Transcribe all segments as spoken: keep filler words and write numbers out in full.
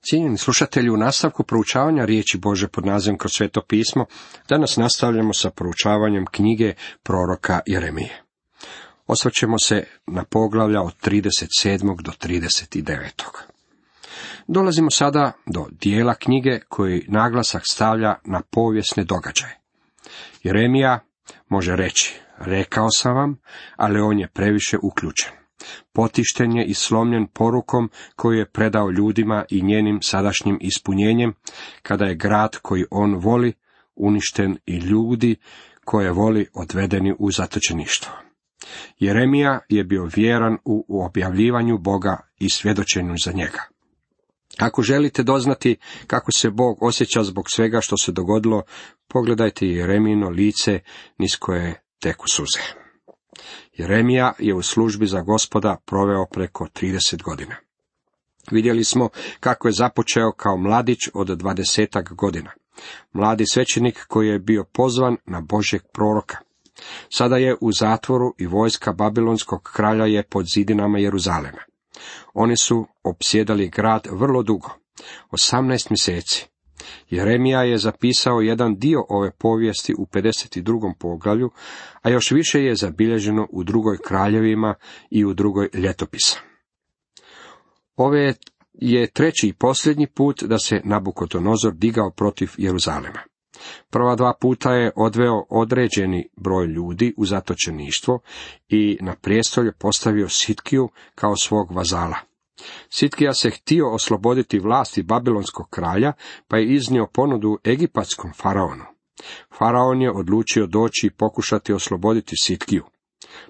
Cijenjeni slušatelji, u nastavku proučavanja riječi Bože pod nazivom Kroz sveto pismo, danas nastavljamo sa proučavanjem knjige proroka Jeremije. Osvrćemo se na poglavlja od trideset sedmog do trideset devetog Dolazimo sada do dijela knjige koji naglasak stavlja na povijesne događaje. Jeremija može reći, rekao sam vam, ali on je previše uključen. Potišten je i slomljen porukom koju je predao ljudima i njenim sadašnjim ispunjenjem, kada je grad koji on voli uništen i ljudi koje voli odvedeni u zatočeništvo. Jeremija je bio vjeran u objavljivanju Boga i svjedočenju za njega. Ako želite doznati kako se Bog osjeća zbog svega što se dogodilo, pogledajte Jeremijino lice niz koje teku suze. Jeremija je u službi za Gospoda proveo preko trideset godina. Vidjeli smo kako je započeo kao mladić od dvadesetak godina. Mladi svećenik koji je bio pozvan na Božjeg proroka. Sada je u zatvoru i vojska babilonskog kralja je pod zidinama Jeruzalema. Oni su opsjedali grad vrlo dugo, osamnaest mjeseci. Jeremija je zapisao jedan dio ove povijesti u pedeset drugom poglavlju, a još više je zabilježeno u drugoj kraljevima i u drugoj ljetopisa. Ove je treći i posljednji put da se Nabukodonozor digao protiv Jeruzalema. Prva dva puta je odveo određeni broj ljudi u zatočeništvo i na prijestolje postavio Sitkiju kao svog vazala. Sitkija se htio osloboditi vlasti babilonskog kralja, pa je iznio ponudu egipatskom faraonu. Faraon je odlučio doći i pokušati osloboditi Sitkiju.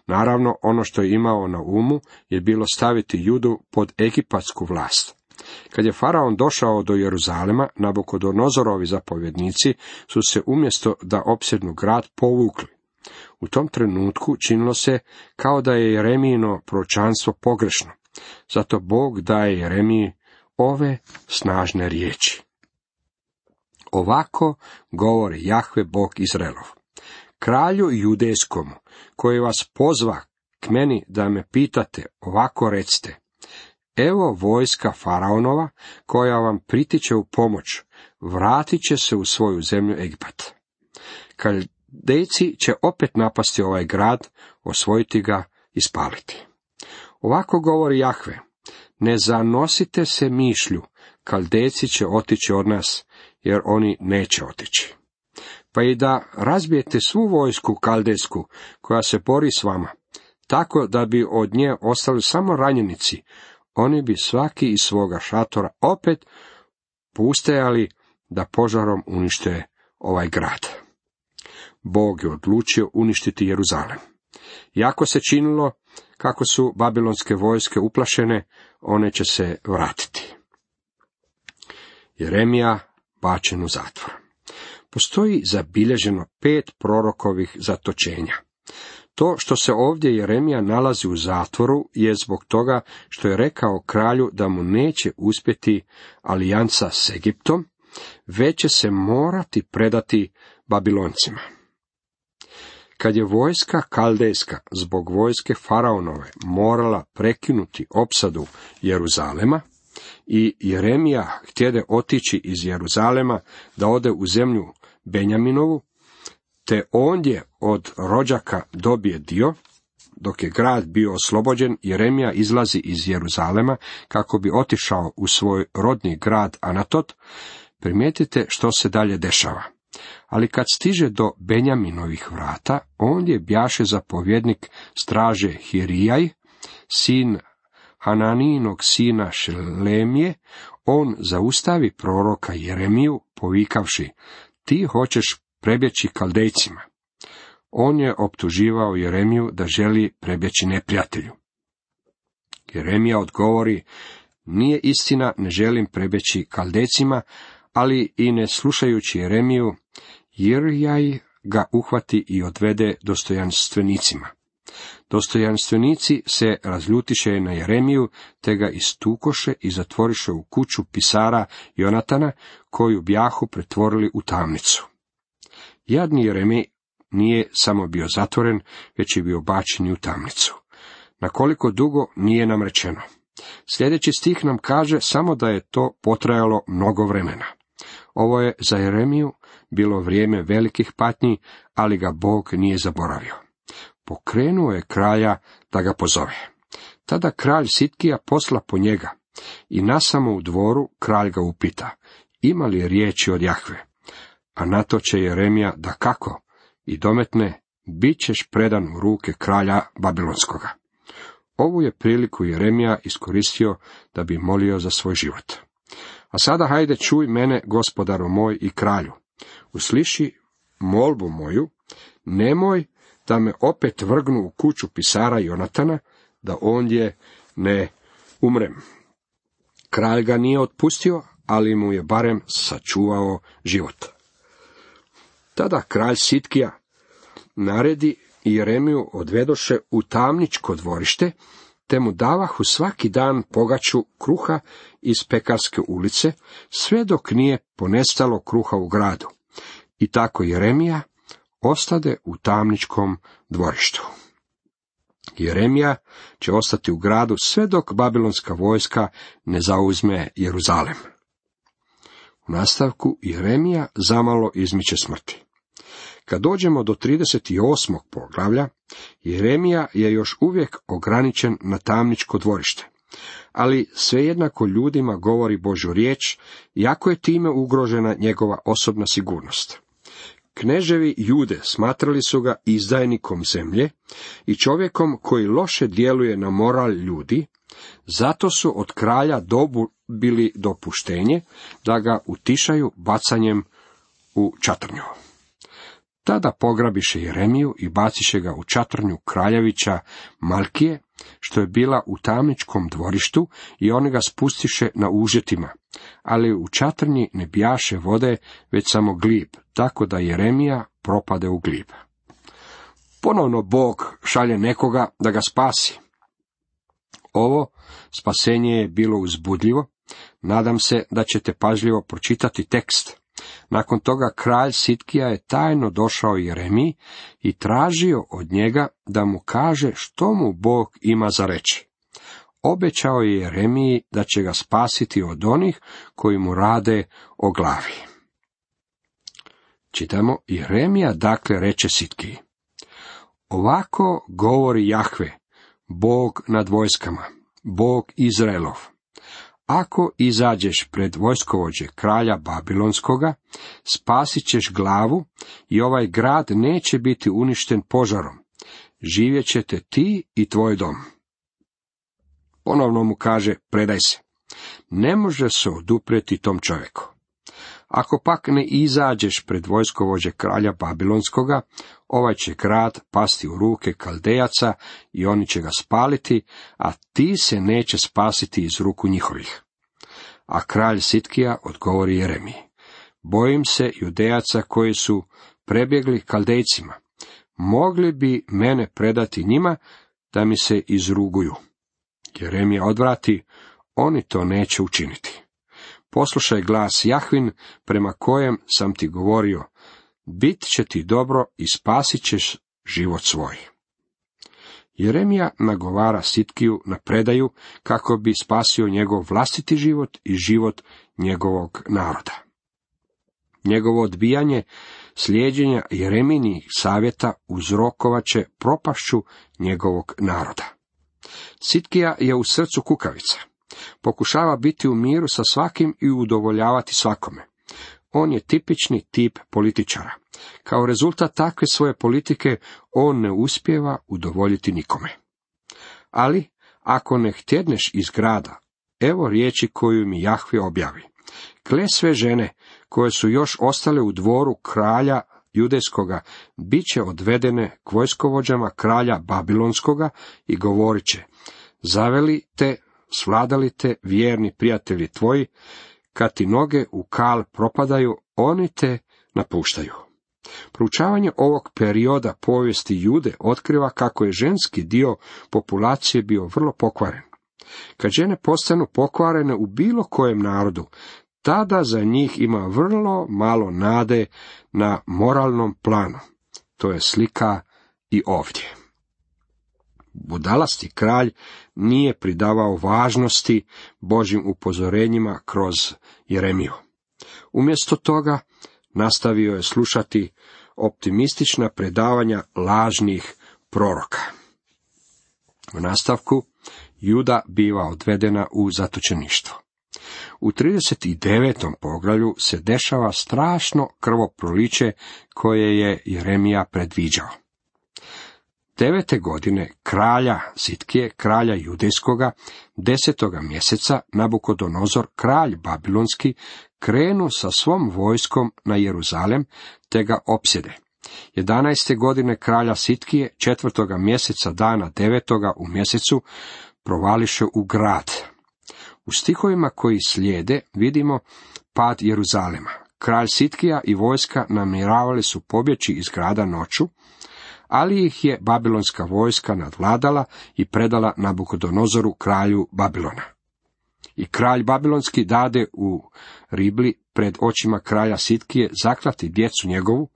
Naravno, ono što je imao na umu je bilo staviti Judu pod egipatsku vlast. Kad je faraon došao do Jeruzalema, Nabukodonozorovi zapovjednici su se umjesto da opsjednu grad povukli. U tom trenutku činilo se kao da je Jeremijino proročanstvo pogrešno. Zato Bog daje Jeremiji ove snažne riječi. Ovako govori Jahve Bog Izraelov. Kralju judejskomu, koji vas pozva k meni da me pitate, ovako recite. Evo vojska faraonova, koja vam pritiče u pomoć, vratit će se u svoju zemlju Egipat. Kaldejci će opet napasti ovaj grad, osvojiti ga i spaliti. Ovako govori Jahve, ne zanosite se mišlju, Kaldejci će otići od nas, jer oni neće otići. Pa i da razbijete svu vojsku kaldejsku koja se bori s vama, tako da bi od nje ostali samo ranjenici, oni bi svaki iz svoga šatora opet pustajali da požarom unište ovaj grad. Bog je odlučio uništiti Jeruzalem. Iako se činilo kako su babilonske vojske uplašene, one će se vratiti. Jeremija bačen u zatvor. Postoji zabilježeno pet prorokovih zatočenja. To što se ovdje Jeremija nalazi u zatvoru je zbog toga što je rekao kralju da mu neće uspjeti alijansa s Egiptom, već će se morati predati Babiloncima. Kad je vojska kaldejska zbog vojske faraonove morala prekinuti opsadu Jeruzalema i Jeremija htjede otići iz Jeruzalema da ode u zemlju Benjaminovu, te ondje od rođaka dobije dio, dok je grad bio oslobođen, Jeremija izlazi iz Jeruzalema kako bi otišao u svoj rodni grad Anatot. Primijetite što se dalje dešava. Ali kad stiže do Benjaminovih vrata, ondje bjaše zapovjednik straže Hirijaj, sin Hananijinog sina Šelemije, on zaustavi proroka Jeremiju povikavši, ti hoćeš prebjeći Kaldejcima. On je optuživao Jeremiju da želi prebjeći neprijatelju. Jeremija odgovori, nije istina, ne želim prebjeći Kaldejcima, ali i ne slušajući Jeremiju, Hirijaj ga uhvati i odvede dostojanstvenicima. Dostojanstvenici se razljutiše na Jeremiju, te ga istukoše i zatvoriše u kuću pisara Jonatana, koju bjahu pretvorili u tamnicu. Jadni Jeremij nije samo bio zatvoren, već je bio bačen u tamnicu. Na koliko dugo nije nam rečeno. Sljedeći stih nam kaže samo da je to potrajalo mnogo vremena. Ovo je za Jeremiju bilo vrijeme velikih patnji, ali ga Bog nije zaboravio. Pokrenuo je kralja da ga pozove. Tada kralj Sitkija posla po njega i nasamo u dvoru kralj ga upita, ima li riječi od Jahve? A na to će Jeremija da kako i dometne, bit ćeš predan u ruke kralja Babilonskoga. Ovu je priliku Jeremija iskoristio da bi molio za svoj život. A sada hajde čuj mene, gospodaru moj i kralju. Usliši molbu moju, nemoj da me opet vrgnu u kuću pisara Jonatana, da ondje ne umrem. Kralj ga nije otpustio, ali mu je barem sačuvao život. Tada kralj Sitkija naredi i Jeremiju odvedoše u tamničko dvorište, te mu davahu svaki dan pogaču kruha iz pekarske ulice, sve dok nije ponestalo kruha u gradu. I tako Jeremija ostade u tamničkom dvorištu. Jeremija će ostati u gradu sve dok babilonska vojska ne zauzme Jeruzalem. U nastavku Jeremija zamalo izmiče smrti. Kad dođemo do trideset osmog poglavlja, Jeremija je još uvijek ograničen na tamničko dvorište, ali svejednako ljudima govori Božju riječ, iako je time ugrožena njegova osobna sigurnost. Kneževi Jude smatrali su ga izdajnikom zemlje i čovjekom koji loše djeluje na moral ljudi, zato su od kralja dobili dopuštenje da ga utišaju bacanjem u čatrnju. Tada pograbiše Jeremiju i baciše ga u čatrnju kraljevića Malkije, što je bila u tamničkom dvorištu, i oni ga spustiše na užetima, ali u čatrnji ne bijaše vode, već samo glib, tako da Jeremija propade u glib. Ponovno Bog šalje nekoga da ga spasi. Ovo spasenje je bilo uzbudljivo, nadam se da ćete pažljivo pročitati tekst. Nakon toga kralj Sitkija je tajno došao Jeremiji i tražio od njega da mu kaže što mu Bog ima za reći. Obećao je Jeremiji da će ga spasiti od onih koji mu rade o glavi. Čitamo, Jeremija dakle reče Sitkiji: ovako govori Jahve, Bog nad vojskama, Bog Izraelov. Ako izađeš pred vojskovođe kralja Babilonskoga, spasit ćeš glavu i ovaj grad neće biti uništen požarom. Živjet ćete ti i tvoj dom. Ponovno mu kaže, predaj se. Ne može se oduprijeti tom čovjeku. Ako pak ne izađeš pred vojskovođe kralja Babilonskoga, ovaj će grad pasti u ruke Kaldejaca i oni će ga spaliti, a ti se neće spasiti iz ruku njihovih. A kralj Sitkija odgovori Jeremiji: bojim se Judejaca koji su prebjegli Kaldejcima. Mogli bi mene predati njima da mi se izruguju. Jeremija odvrati: oni to neće učiniti. Poslušaj glas Jahvin prema kojem sam ti govorio, bit će ti dobro i spasit ćeš život svoj. Jeremija nagovara Sitkiju na predaju kako bi spasio njegov vlastiti život i život njegovog naroda. Njegovo odbijanje slijeđenja Jeremijinih savjeta uzrokovat će propašću njegovog naroda. Sitkija je u srcu kukavica. Pokušava biti u miru sa svakim i udovoljavati svakome. On je tipični tip političara. Kao rezultat takve svoje politike on ne uspijeva udovoljiti nikome. Ali, ako ne htjedneš iz grada, evo riječi koju mi Jahve objavi. Kle sve žene koje su još ostale u dvoru kralja Judejskoga bit će odvedene k vojskovođama kralja Babilonskoga i govorit će: zaveli te, svladali te vjerni prijatelji tvoji, kad ti noge u kal propadaju, oni te napuštaju. Proučavanje ovog perioda povijesti Jude otkriva kako je ženski dio populacije bio vrlo pokvaren. Kad žene postanu pokvarene u bilo kojem narodu, tada za njih ima vrlo malo nade na moralnom planu. To je slika i ovdje. budalasti kralj nije pridavao važnosti Božjim upozorenjima kroz Jeremiju. Umjesto toga nastavio je slušati optimistična predavanja lažnih proroka. U nastavku Juda biva odvedena u zatočeništvo. U trideset devetom poglavlju se dešava strašno krvoproliće koje je Jeremija predviđao. Devete godine kralja Sitkije, kralja Judejskoga, desetoga mjeseca Nabukodonozor, kralj Babilonski, krenu sa svom vojskom na Jeruzalem, te ga opsjede. Jedanaeste godine kralja Sitkije, četvrtoga mjeseca dana devetoga u mjesecu, provališe u grad. U stihovima koji slijede vidimo pad Jeruzalema. Kralj Sitkija i vojska namjeravali su pobjeći iz grada noću, ali ih je babilonska vojska nadvladala i predala Nabukodonozoru, kralju Babilona. I kralj babilonski dade u Ribli pred očima kralja Sitkije zaklati djecu njegovu,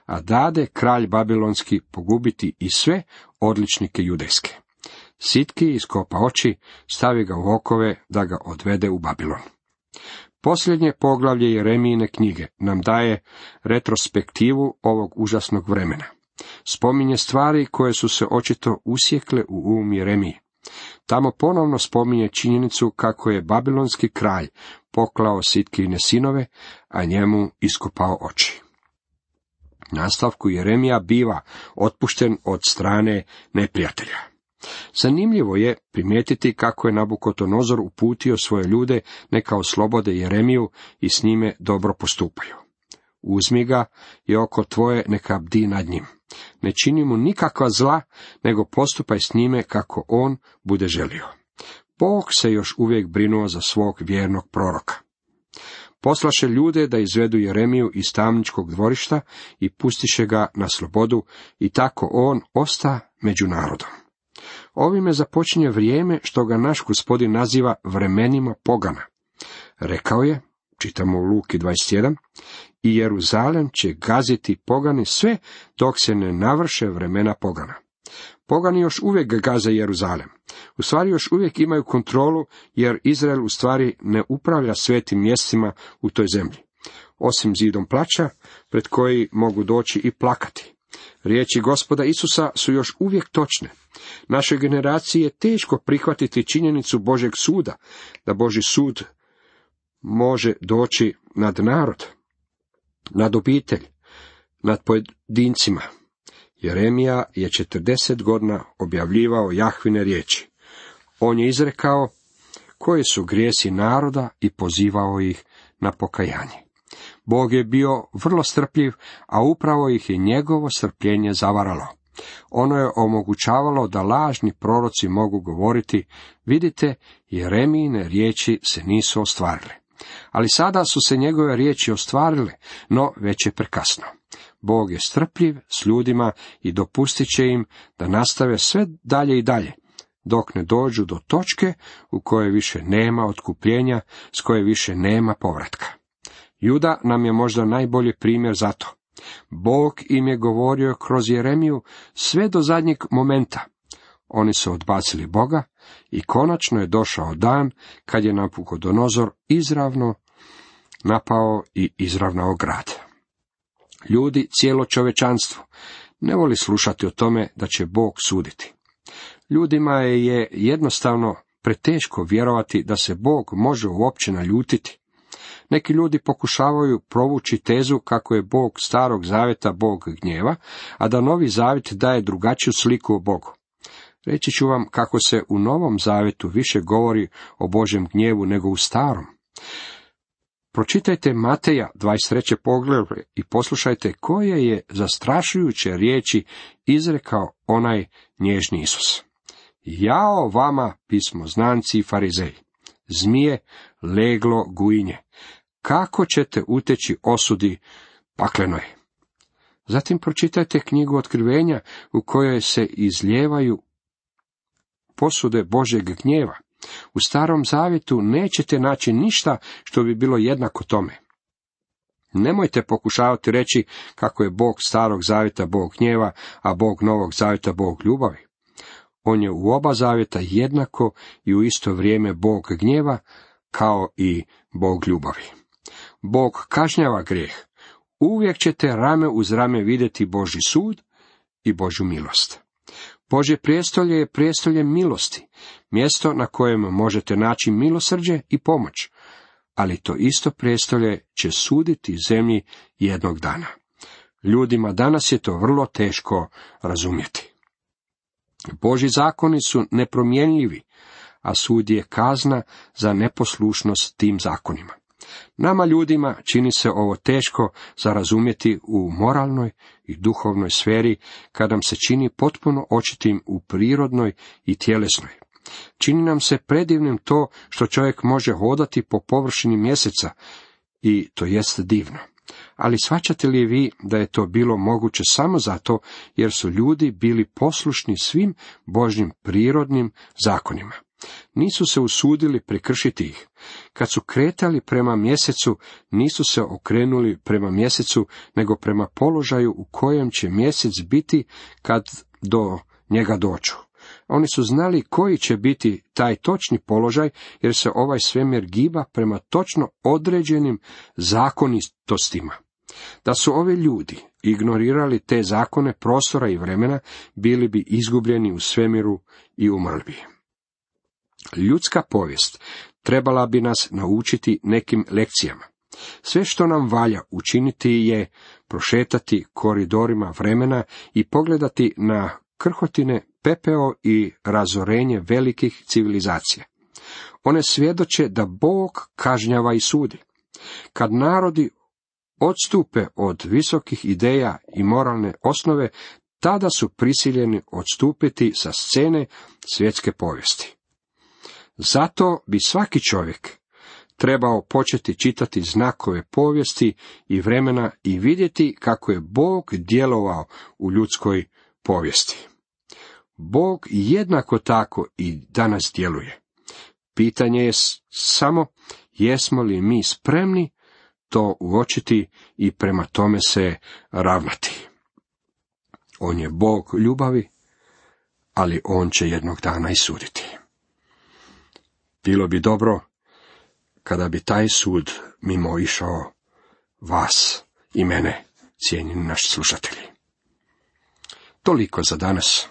a dade kralj babilonski pogubiti i sve odličnike judejske. Sitkiji iskopa oči, stavi ga u okove da ga odvede u Babilon. Posljednje poglavlje Jeremijine knjige nam daje retrospektivu ovog užasnog vremena. Spominje stvari koje su se očito usjekle u um Jeremiji. Tamo ponovno spominje činjenicu kako je babilonski kralj poklao Sitkijine sinove, a njemu iskopao oči. Nastavku Jeremija biva otpušten od strane neprijatelja. Zanimljivo je primijetiti kako je Nabukodonozor uputio svoje ljude neka oslobode Jeremiju i s njime dobro postupaju. Uzmi ga i oko tvoje neka bdi nad njim. Ne čini mu nikakva zla, nego postupaj s njime kako on bude želio. Bog se još uvijek brinuo za svog vjernog proroka. Poslaše ljude da izvedu Jeremiju iz tamničkog dvorišta i pustiše ga na slobodu i tako on osta među narodom. Ovime započinje vrijeme što ga naš Gospodin naziva vremenima pogana. Rekao je, čitamo u Luki dvadeset jedan, i Jeruzalem će gaziti pogani sve dok se ne navrše vremena pogana. Pogani još uvijek gaze Jeruzalem. U stvari još uvijek imaju kontrolu, jer Izrael u stvari ne upravlja svetim mjestima u toj zemlji. Osim zidom plaća, pred koji mogu doći i plakati. Riječi Gospoda Isusa su još uvijek točne. Našoj generaciji je teško prihvatiti činjenicu Božjeg suda, da Božji sud može doći nad narod, nad obitelj, nad pojedincima. Jeremija je četrdeset godina objavljivao Jahvine riječi. On je izrekao koji su grijesi naroda i pozivao ih na pokajanje. Bog je bio vrlo strpljiv, a upravo ih je njegovo strpljenje zavaralo. Ono je omogućavalo da lažni proroci mogu govoriti, vidite, Jeremijine riječi se nisu ostvarile. Ali sada su se njegove riječi ostvarile, no već je prekasno. Bog je strpljiv s ljudima i dopustit će im da nastave sve dalje i dalje, dok ne dođu do točke u kojoj više nema otkupljenja, s koje više nema povratka. Juda nam je možda najbolji primjer za to. Bog im je govorio kroz Jeremiju sve do zadnjeg momenta. Oni su odbacili Boga i konačno je došao dan kad je Nabukodonozor izravno napao i izravnao grad. Ljudi, cijelo čovječanstvo, ne voli slušati o tome da će Bog suditi. Ljudima je jednostavno preteško vjerovati da se Bog može uopće naljutiti. Neki ljudi pokušavaju provući tezu kako je Bog starog zavjeta Bog gnjeva, a da novi zavjet daje drugačiju sliku o Bogu. Reći ću vam kako se u Novom zavjetu više govori o Božjem gnjevu nego u starom. Pročitajte Mateja dvadeset treće poglavlje i poslušajte koje je zastrašujuće riječi izrekao onaj nježni Isus. Jao vama, pismoznanci i farizeji, zmije, leglo, gujinje, kako ćete uteći osudi paklenoj? Zatim pročitajte knjigu Otkrivenja u kojoj se izlijevaju posude Božjeg gnjeva. U Starom zavjetu nećete naći ništa što bi bilo jednako tome. Nemojte pokušavati reći kako je Bog Starog zavjeta Bog gnjeva, a Bog Novog zavjeta Bog ljubavi. On je u oba zavjeta jednako i u isto vrijeme Bog gnjeva, kao i Bog ljubavi. Bog kažnjava grijeh. Uvijek ćete rame uz rame vidjeti Božji sud i Božju milost. Božje prijestolje je prijestolje milosti, mjesto na kojem možete naći milosrđe i pomoć, ali to isto prijestolje će suditi zemlji jednog dana. Ljudima danas je to vrlo teško razumjeti. Božji zakoni su nepromjenjivi, a sud je kazna za neposlušnost tim zakonima. Nama ljudima čini se ovo teško za razumjeti u moralnoj i duhovnoj sferi, kad nam se čini potpuno očitim u prirodnoj i tjelesnoj. Čini nam se predivnim to što čovjek može hodati po površini mjeseca, i to jest divno. Ali shvaćate li vi da je to bilo moguće samo zato jer su ljudi bili poslušni svim Božjim prirodnim zakonima? Nisu se usudili prekršiti ih. Kad su kretali prema mjesecu, nisu se okrenuli prema mjesecu, nego prema položaju u kojem će mjesec biti kad do njega dođu. Oni su znali koji će biti taj točni položaj, jer se ovaj svemir giba prema točno određenim zakonitostima. Da su ovi ljudi ignorirali te zakone prostora i vremena, bili bi izgubljeni u svemiru i umrli bi. Ljudska povijest trebala bi nas naučiti nekim lekcijama. Sve što nam valja učiniti je prošetati koridorima vremena i pogledati na krhotine, pepeo i razorenje velikih civilizacija. One svjedoče da Bog kažnjava i sudi. Kad narodi odstupe od visokih ideja i moralne osnove, tada su prisiljeni odstupiti sa scene svjetske povijesti. Zato bi svaki čovjek trebao početi čitati znakove povijesti i vremena i vidjeti kako je Bog djelovao u ljudskoj povijesti. Bog jednako tako i danas djeluje. Pitanje je samo jesmo li mi spremni to uočiti i prema tome se ravnati. On je Bog ljubavi, ali on će jednog dana i suditi. Bilo bi dobro kada bi taj sud mimo išao vas i mene, cijenjeni naši slušatelji. Toliko za danas.